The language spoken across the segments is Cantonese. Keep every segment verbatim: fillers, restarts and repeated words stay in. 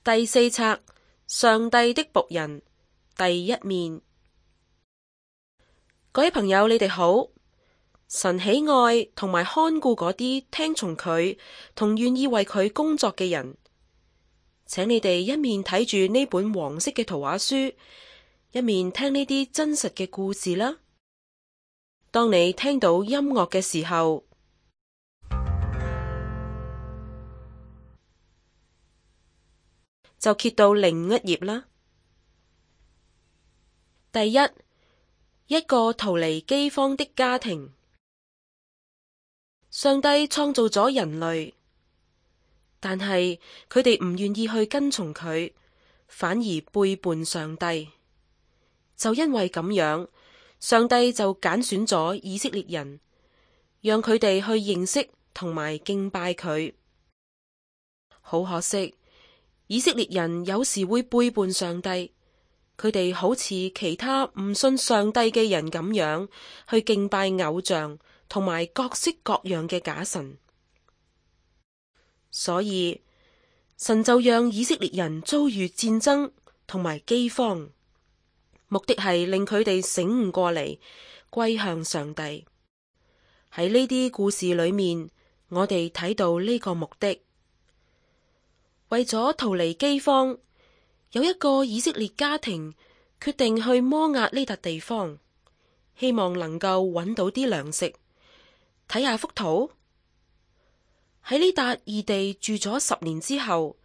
第四冊，上帝的僕人，第一面。各位朋友，你哋好。神喜愛同埋看顧嗰啲聽從佢同願意為佢工作嘅人。請你哋一面睇住呢本黃色嘅圖畫書，一面聽呢啲真實嘅故事啦。當你聽到音樂嘅時候，就揭到另一頁啦。第一，一個逃離饑荒的家庭。上帝創造咗人類，但係佢哋唔願意去跟從佢，反而背叛上帝。就因為咁樣，上帝就揀選咗以色列人，讓佢哋去認識同埋敬拜佢。好可惜，以色列人有時會背叛上帝，佢哋好似其他唔信上帝嘅人咁樣去敬拜偶像同埋各式各樣嘅假神。所以神就讓以色列人遭遇戰爭同埋饑荒，目的係令佢哋醒悟過嚟，歸向上帝。喺呢啲故事裏面，我哋睇到呢個目的。為咗逃離饑荒，有一個以色列家庭決定去摩押呢笪地方，希望能夠揾到啲糧食。睇下幅圖，喺呢笪異地住咗十年之後，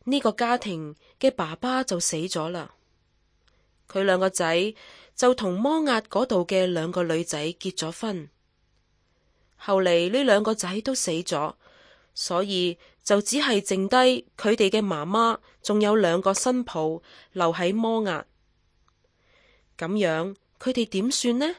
呢個家庭嘅爸爸就死咗啦。佢兩個仔就同摩押嗰度嘅兩個女仔結咗婚。後嚟呢兩個仔都死咗，所以就只係剩低佢哋嘅媽媽，仲有兩個新抱留喺摩押。咁樣佢哋點算呢？